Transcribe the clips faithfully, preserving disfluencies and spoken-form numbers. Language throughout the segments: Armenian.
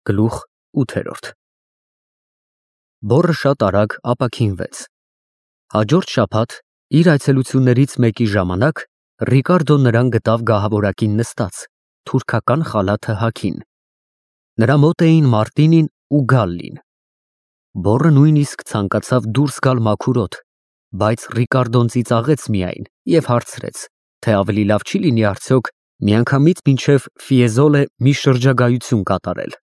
Գլուխ ութ Բոռը շատ արագ ապաքինվեց։ Հաջորդ շաբաթ իր այցելություններից մեկի ժամանակ Ռիկարդոն նրան գտավ գահավորակին նստած, թուրքական խալաթը հագին։ Նրա մոտ էին Մարտինին ու Գալլին։ Բոռը նույնիսկ ցանկացավ դուրս գալ մաքուր օդ, բայց Ռիկարդոն ծիծաղեց միայն և հարցրեց, թե ավելի լավ չի լինի արդյոք միանգամից մինչև Ֆիեզոլե մի շրջագայություն կատարել։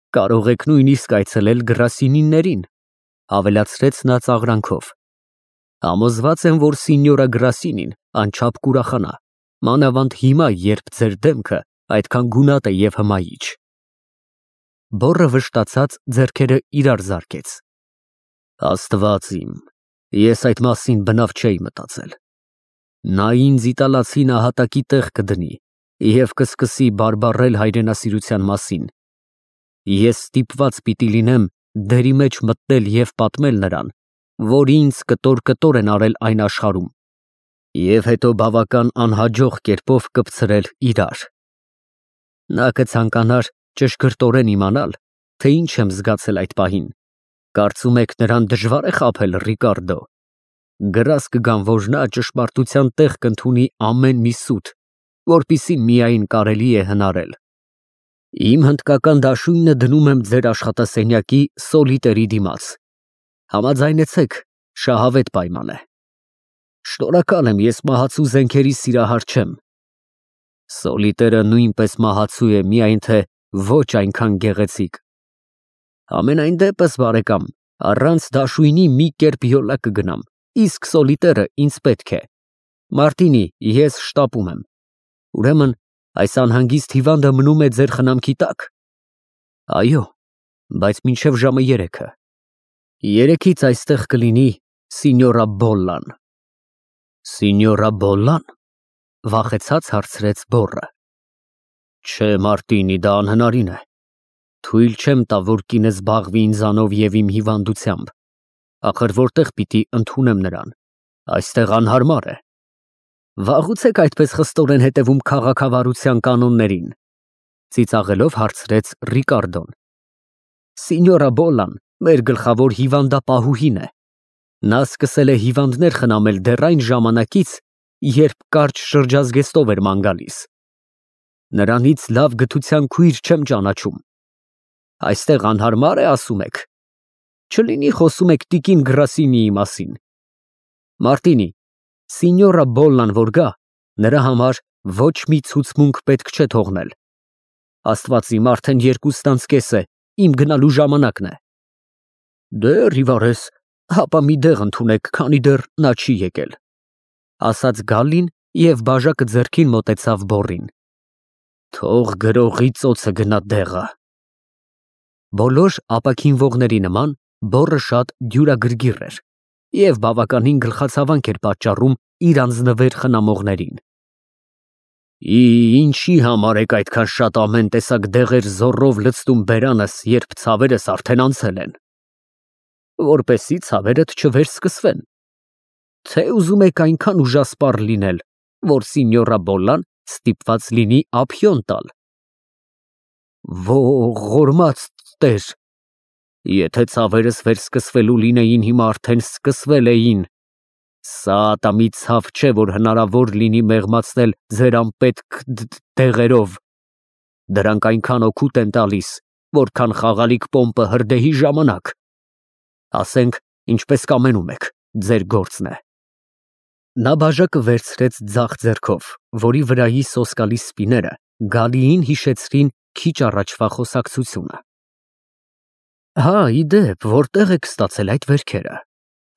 Կարող եք նույնիսկ այցելել Գրասինիներին, ավելացրեց նա ծաղրանքով։ Համոզված եմ, որ Սինյորա Գրասինին անչափ կուրախանա, մանավանդ հիմա, երբ ձեր դեմքը այդքան գունատ է և հմայիչ։ Բոռը վշտացած ձեռքերը իրար զարկեց։ Աստված իմ, ես այդ մասին բնավ չէի մտածել։ Նա ինձ իտալացի նահատակի տեղ կդնի և կսկսի բարբառել հայրենասիրության մասին։ Ես ստիպված պիտի լինեմ դերի մեջ մտնել և պատմել նրան, որ ինձ կտոր-կտոր են արել այն աշխարհում, և հետո բավական անհաջող կերպով կպցրել իրար։ Նա կցանկանար ճշգրտորեն իմանալ, թե ինչ եմ զգացել այդ պահին։ Կարծում եք նրան դժվա՞ր է խաբել, Ռիկարդո։ Գրազ կգամ, որ նա ճշմարտության տեղ կընդունի ամեն մի սուտ, որպեսզի միայն կարելի է հնարել։ Իմ հնդկական դաշույնը դնում եմ ձեր աշխատասենյակի սոլիտերի դիմաց։ Համաձայնեցեք, շահավետ պայման է։ Շնորհակալ եմ, ես մահացու զենքերի սիրահար չեմ։ Սոլիտերը նույնպես մահացու է, միայն թե ոչ այնքան գեղեցիկ։ Համենայն դեպս, բարեկամ, առանց դաշույնի մի կերպ յոլա կգնամ, իսկ սոլիտերը ինձ պետք է։ Մարտինի, ես շտապում եմ։ Ուրեմն այս անհանգիստ հիվանդը մնում է ձեր խնամքի տա՞կ։ Այո, բայց մինչև ժամը երեքը։ Երեքից այստեղ կլինի Սինյորա Բոլլան։ Սինյորա Բոլլա՞ն, վախեցած հարցրեց Բոռը։ Չէ, Մարտինի, դա անհնարին է։ Թույլ չեմ տա, որ կինը զբաղվի ինձանով և իմ հիվանդությամբ։ Ախր որտեղ պիտի ընդունեմ նրան։ Այստեղ անհարմար է։ Վաղուց եք այդպես խստորեն հետևում քաղաքավարության կանոններին, ծիծաղելով հարցրեց Ռիկարդոն։ Սինյորա Բոլլան մեր գլխավոր հիվանդապահուհին է։ Նա սկսել է հիվանդներ խնամել դեռ այն ժամանակից, երբ կարճ շրջազգեստով էր ման գալիս։ Նրանից լավ գթության քույր չեմ ճանաչում։ Այստեղ անհարմար է, ասում եք։ Չլինի խոսում եք տիկին Գրասինիի մասին։ Մարտինի, Սինյորա Բոլլան որ գա, նրա համար ոչ մի ցուցմունք պետք չէ թողնել։ Աստված իմ, արդեն երկուստ անց կես է, իմ գնալու ժամանակն է։ Դե՛հ, Ռիվարես, հապա մի դեղ ընդունեք, քանի դեռ նա չի եկել, ասաց Գալլին և բաժակը ձեռքին մոտեցավ Բոռին։ Թող գրողի ծոցը գնա դեղը։ Բոլոր ապաքինվողների նման Բոռը շատ դյուրագրգիռ էր և բավականին գլխացավանք էր պատճառում իր անձնվեր խնամողներին։ Ինչի համար եք այդքան շատ ամեն տեսակ դեղեր զոռով լցնում բերանս, երբ ցավերս արդեն անցել են։ Որպեսզի ցավերդ չվերսկսվեն։ Թե ուզում եք այնքան ուժասպառ լինել, որ Սինյորա Բոլլան ստիպված լինի ափիոն տալ։ Ողորմած Տեր, եթե ցավերս վերսկսվելու լինեին, հիմա արդեն սկսվել էին։ Սա ատամի ցավ չէ, որ հնարավոր լինի մեղմացնել ձեր անպետք դեղերով։ Դրանք այնքան օգուտ են տալիս, որքան խաղալիք պոմպը հրդեհի ժամանակ։ Ասենք, ինչպես կամենում եք, ձեր գործն է։ Նա բաժակը վերցրեց ձախ ձեռքով, որի վրայի սոսկալի սպիները Գալիին հիշեցրին քիչ առաջվա խոսակցությունը։ Հա, ի դեպ, որտեղ եք ստացել այդ վերքերը,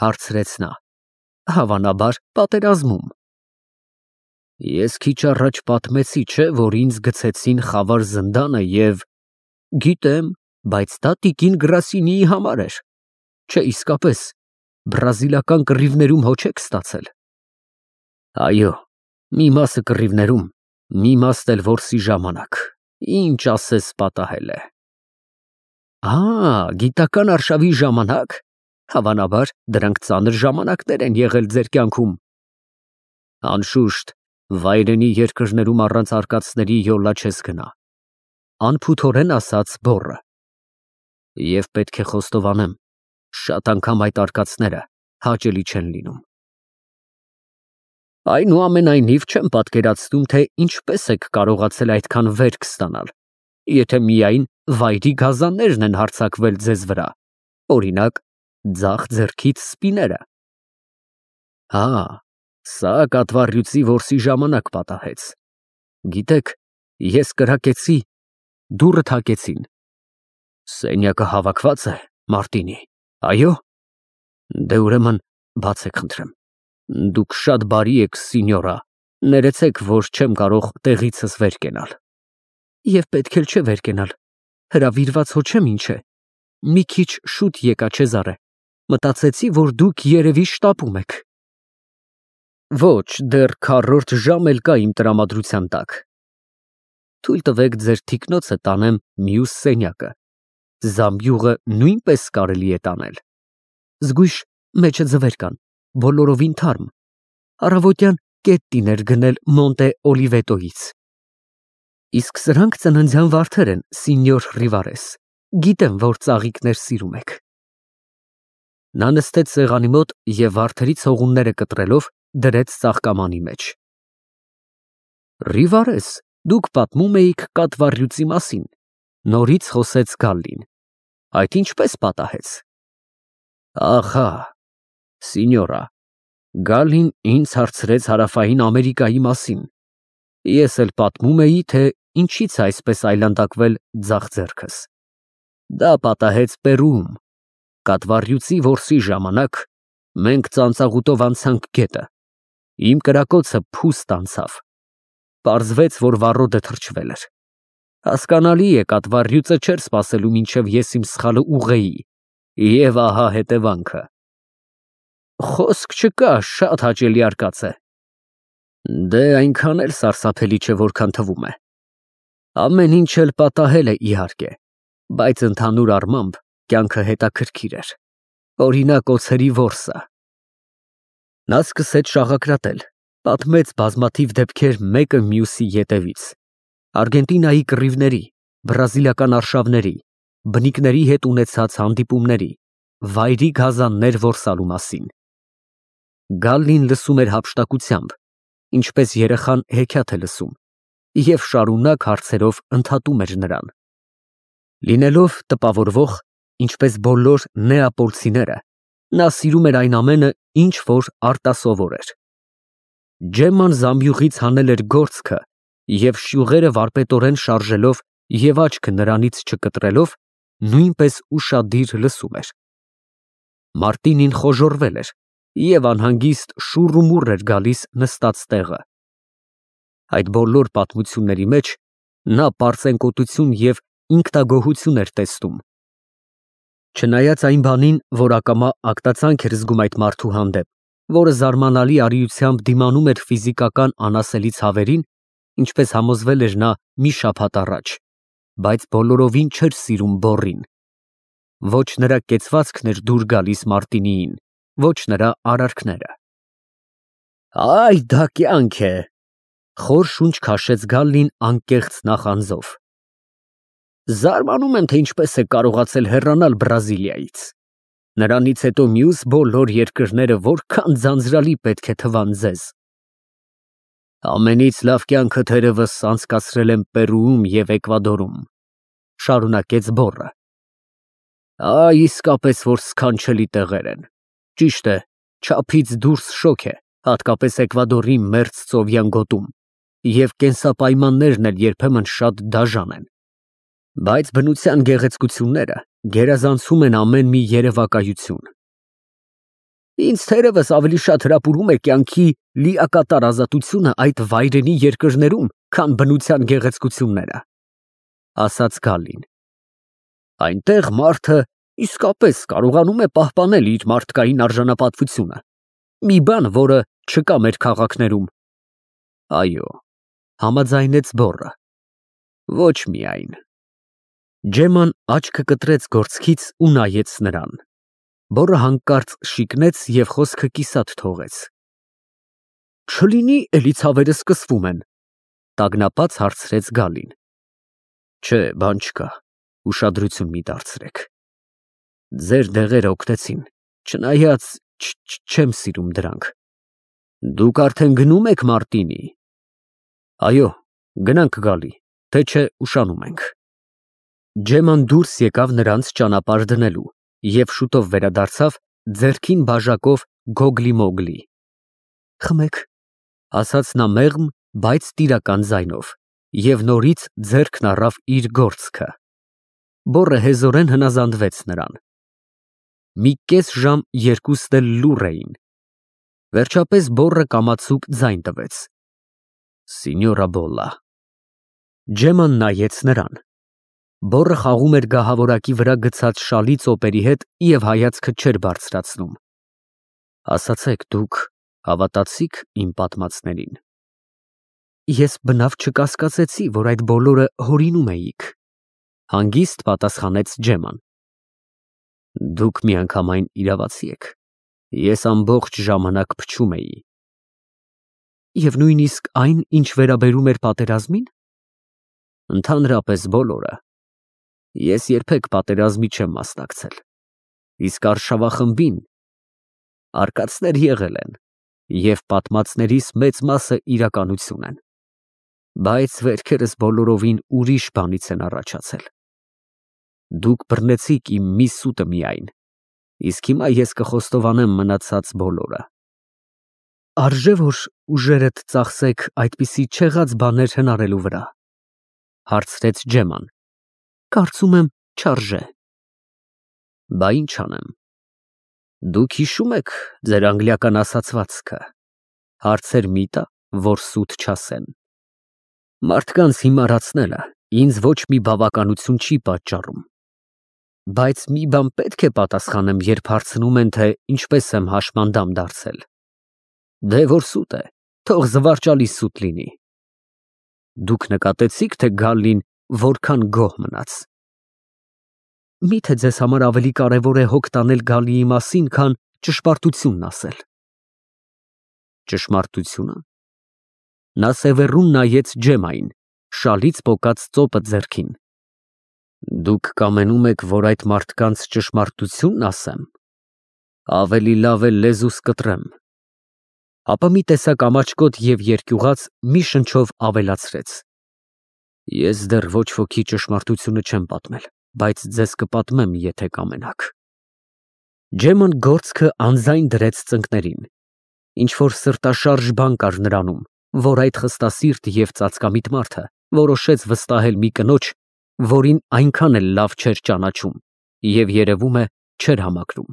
հարցրեց նա։ Հավանաբար պատերազմում։ Ես քիչ առաջ պատմեցի, չէ՞, որ ինձ գցեցին խավար զնդանը և… Գիտեմ, բայց դա տիկին Գրասինիի համար էր։ Չէ, իսկապես, բրազիլական կռիվներում հո չեք ստացել։ Այո, մի մասը կռիվներում, մի մասն էլ որսի ժամանակ, ինչ ասես պատահել է։ Ահա, գիտական արշավի ժամանակ, հավանաբար դրանք ծանր ժամանակներ են եղել ձեր կյանքում։ Անշուշտ, վայրենի երկրներում առանց արկածների յոլա չես գնա։ Անփութորեն ասաց բոռը։ Եվ պետք է խոստովանեմ, շատ անգամ այդ արկածները հաճելի չեն լինում։ Այնուամենայնիվ չեմ պատկերացնում, թե ինչպես եք կարողացել այդքան վերք ստանալ, եթե միայն վայրի գազաններն են հարձակվել ձեզ վրա, օրինակ, ձախ ձեռքից սպիները։ Հա, սա կատվառյուծի որսի ժամանակ պատահեց։ Գիտեք, ես կրակեցի, դուռը թակեցին։ Սենյակը հավաքված է, Մարտինի, այո։ Դե ուրեմն բացեք խնդրեմ։ Դուք շատ բարի եք, սինյորա, ներեցեք, որ չեմ կարող տեղիցս վեր կենալ։ Եվ պետք էլ չէ վեր կենալ, հրավիրված հո չեմ ինչ է։ Մի քիչ շուտ եկա Չեզարե, մտածեցի, որ դուք երևի շտապում եք։ Ոչ, դեռ քառորդ ժամ էլ կա իմ տրամադրության տակ։ Թույլ տվեք ձեր թիկնոցը տանեմ մյուս սենյակը։ Զամբյուղը նույնպես կարելի է տանել։ Զգույշ մեջը ձվեր կան, բոլորովին թարմ։ Առավոտյան կետտին էր գնել Մոնտե Օլիվետոից։ Իսկ սրանք ծննդյան վարդեր են, սինյոր Ռիվարես։ Գիտեմ, որ ծաղիկներ սիրում եք։ Նա նստեց սեղանի մոտ և վարդերի ցողունները կտրելով դրեց ծաղկամանի մեջ։ Ռիվարես, դուք պատմում էիք կատվառյուծի մասին, նորից խոսեց Գալլին։ Այդ ինչպես պատահեց։ Ախա, սինյորա, Գալլին ինձ հարցրեց Հարավային Ամերիկայի մասին։ Ես էլ պատմում էի, թե ինչից է այսպես այլանդակվել ձախ ձեռքս։ Դա պատահեց Պերուում։ Կատվառյուծի որսի ժամանակ մենք ծանծաղուտով անցանք գետը։ Իմ կրակոցը փուստ անցավ։ Պարզվեց, որ վառոդը թրջվել էր։ Հասկանալի է, կատվառյուծը չէր սպասելու, մինչև ես իմ սխալը ուղղեի։ Եվ ահա հետևանքը։ Խոսք չկա, շատ հաճելի արկած է։ Դե այնքան էլ սարսափելի չէ, որքան թվում է։ Ամեն ինչ էլ պատահել է, իհարկե, բայց ընդհանուր առմամբ կյանքը հետաքրքիր էր։ Օրինակ օձերի որսը։ Նա սկսեց շաղակրատել, պատմեց բազմաթիվ դեպքեր մեկը մյուսի ետևից։ Արգենտինայի կռիվների, բրազիլական արշավների, բնիկների հետ ունեցած հանդիպումների, վայրի գազաններ որսալու մասին։ Գալլին լսում էր հափշտակությամբ, ինչպես երեխան հեքիաթ է լսում, և շարունակ հարցերով ընդհատում էր նրան։ Լինելով տպավորվող, ինչպես բոլոր նեապոլցիները, նա սիրում էր այն ամենը, ինչ որ արտասովոր էր։ Ջեմման զամբյուղից հանել էր գործքը և շյուղերը վարպետորեն շարժելով և աչքը նրանից չկտրելով, նույնպես ուշադիր լսում էր։ Մարտինին խոժոռվել էր և անհանգիստ շուռ ու մուռ էր գալիս նստած տեղը։ Այդ բոլոր պատմությունների մեջ նա պարծենկոտություն և ինքնագոհություն էր տեսնում։ Չնայած այն բանին, որ ակամա ագտացանք էր զգում այդ մարդու հանդեպ, որը զարմանալի արիությամբ դիմանում էր ֆիզիկական անասելի ցավերին, ինչպես համոզվել էր նա մի շաբաթ առաջ, բայց բոլորովին չէր սիրում բոռին։ Ոչ նրա կեցվածքն էր դուր գալիս Մարտինիին, ոչ նրա արարքները։ Այ դա կյանք է, խոր շունչ քաշեց Գալլին անկեղծ նախանձով։ Զարմանում եմ, թե ինչպես եք կարողացել հեռանալ Բրազիլիայից։ Նրանից հետո մյուս բոլոր երկրները որքան ձանձրալի պետք է թվան ձեզ։ Ամենից լավ կյանքը թերևս անցկացրել եմ Պերուում և Էկվադորում, շարունակեց բոռը։ Այ իսկապես որ սքանչելի տեղեր են։ Ճիշտ է, չափից դուրս շոգ է, հատկապես Էկվադորի մերձ ծովյան գոտում, և կենսապայմաններն էլ երբեմն շատ դաժան են։ Բայց բնության գեղեցկությունները գերազանցում են ամեն մի երևակայություն։ Ինձ թերևս ավելի շատ հրապուրում է կյանքի լիակատար ազատությունը այդ վայրենի երկրներում, քան բնության գեղեցկությունները, ասաց Գալլին։ Այնտեղ մարդը իսկապես կարողանում է պահպանել իր մարդկային արժանապատվությունը, մի բան, որը չկա մեր քաղաքներում։ Այո, համաձայնեց բոռը։ Ոչ միայն։ Ջեմման աչքը կտրեց գործքից ու նայեց նրան։ Բոռը հանկարծ շիկնեց և խոսքը կիսատ թողեց։ Չլինի էլի ցավերը սկսվում են, տագնապած հարցրեց Գալլին։ Չէ, բան չկա, ուշադրություն մի դարձրեք։ Ձեր դեղերը օգնեցին, չնայած չեմ սիրում դրանք։ Դուք արդեն գնում եք Մարտինի։ Այո, գնանք գալի, թե չէ ուշանում ենք։ Ջեման դուրս եկավ նրանց ճանապարհ դնելու և շուտով վերադարձավ ձեռքին բաժակով Գոգլի-Մոգլի։ Խմեք, ասաց նա մեղմ, բայց տիրական ձայնով, և նորից ձեռքն առավ իր գործքը։ Բոռը հեզորեն հնազանդվեց նրան։ Մի կես ժամ երկուսն էլ լուռ էին։ Վերջապես բոռը կամացուկ ձայն տվեց. Սինյորա Բոլլա։ Ջեման նայեց նրան։ Բոռը խաղում էր գահավորակի վրա գցած շալի ծոպերի հետ և հայացքը չէր բարձրացնում։ Ասացեք, դուք հավատացի՞ք իմ պատմածներին։ Ես բնավ չկասկածեցի, որ այդ բոլորը հորինում էիք, հանգիստ պատասխանեց Ջեման։ Դուք միանգամայն իրավացի եք, ես ամբողջ ժամանակ փչում էի։ Եվ նույնիսկ այն, ինչ վերաբերում էր պատերազմին։ Ընդհանրապես բոլորը։ Ես երբեք պատերազմի չեմ մասնակցել, իսկ արշավախմբին արկածներ եղել են, և պատմածներիս մեծ մասը իրականություն են, բայց վերքերս բոլորովին ուրիշ բանից են առաջացել։ Դուք բռնեցիք իմ մի սուտը միայն, իսկ հիմա ես կխոստովանեմ մնացած բոլորը։ Արժե՞ որ ուժերդ ծախսեք այդպիսի չեղած բաներ հնարելու վրա, հարցրեց Ջեման։ Կարծում եմ, չարժե։ Բա ինչ անեմ։ Դուք հիշում եք ձեր անգլիական ասացվածքը, հարցեր մի տա, որ սուտ չասեն։ Մարդկանց հիմարացնելը ինձ ոչ մի բավականություն չի պատճառում։ Բայց մի բան պետք է պատասխանեմ, երբ հարցնում են, թե ինչպես եմ հաշմանդամ դարձել։ Դե որ սուտ է, թող զվարճալի սուտ լինի։ Դուք նկատեցի՞ք, թե Գալլին որքան գոհ մնաց։ Միթե ձեզ համար ավելի կարևոր է հոգ տանել Գալլիի մասին, քան ճշմարտությունն ասել։ Ճշմարտությո՞ւնը։ Նա սևեռուն նայեց Ջեմային, շալից պոկած ծոպը ձեռքին։ Դուք կամենում եք, որ այդ մարդկանց ճշմարտությունն ասեմ։ Ավելի լավ է լեզուս կտրեմ։ Ապա մի տեսակ ամաչկոտ և երկյուղած մի շնչով ավելացրեց. Ես դեռ ոչ ոքի ճշմարտությունը չեմ պատմել, բայց ձեզ կպատմեմ, եթե կամենաք։ Ջեման գործքը անձայն դրեց ծնկներին։ Ինչ-որ սրտաշարժ բան կար նրանում, որ այդ խստասիրտ և ծածկամիտ մարդը որոշեց վստահել մի կնոջ, որին այնքան էլ լավ չէր ճանաչում և, երևում է, չէր համակրում։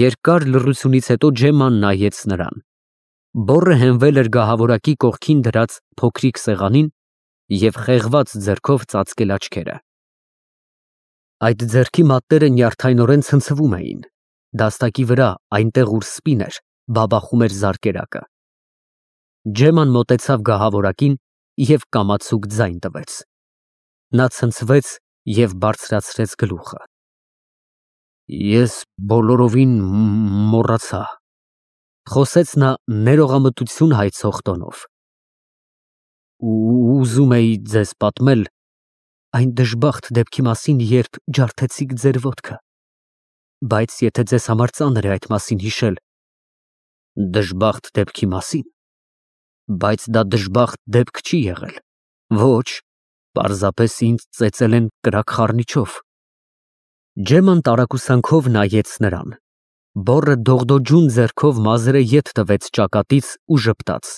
Երկար լռությունից հետո Ջեման նայեց նրան։ Բոռը հենվել էր գահավորակի կողքին դրած փոքրիկ սեղանին և խեղված ձեռքով ծածկել աչքերը։ Այդ ձեռքի մատները նյարդայնորեն ցնցվում էին։ Դաստակի վրա, այնտեղ, ուր սպին էր, բաբախում էր զարկերակը։ Ջեման մոտեցավ գահավորակին և կամացուկ ձայն տվեց։ Նա ցնցվեց և բարձրացրեց գլուխը։ Ես բոլորովին մոռացա, խոսեց նա ներողամտություն հայցող տոնով։ Ուզում էի ձեզ պատմել այն դժբախտ դեպքի մասին, երբ ջարդեցիք ձեր ոտքը, բայց եթե ձեզ համար ծանր է այդ մասին հիշել։ Դժբախտ դեպքի մասին, բայց դա դժբախտ դեպք չի եղել։ Ոչ, պարզապես ինձ ծեծել են կրակ խառնիչով։ Ջեման տարակուսանքով նայեց նրան։ Բոռը դողդոջուն ձեռքով մազերը ետ տվեց ճակատից ու ժպտաց։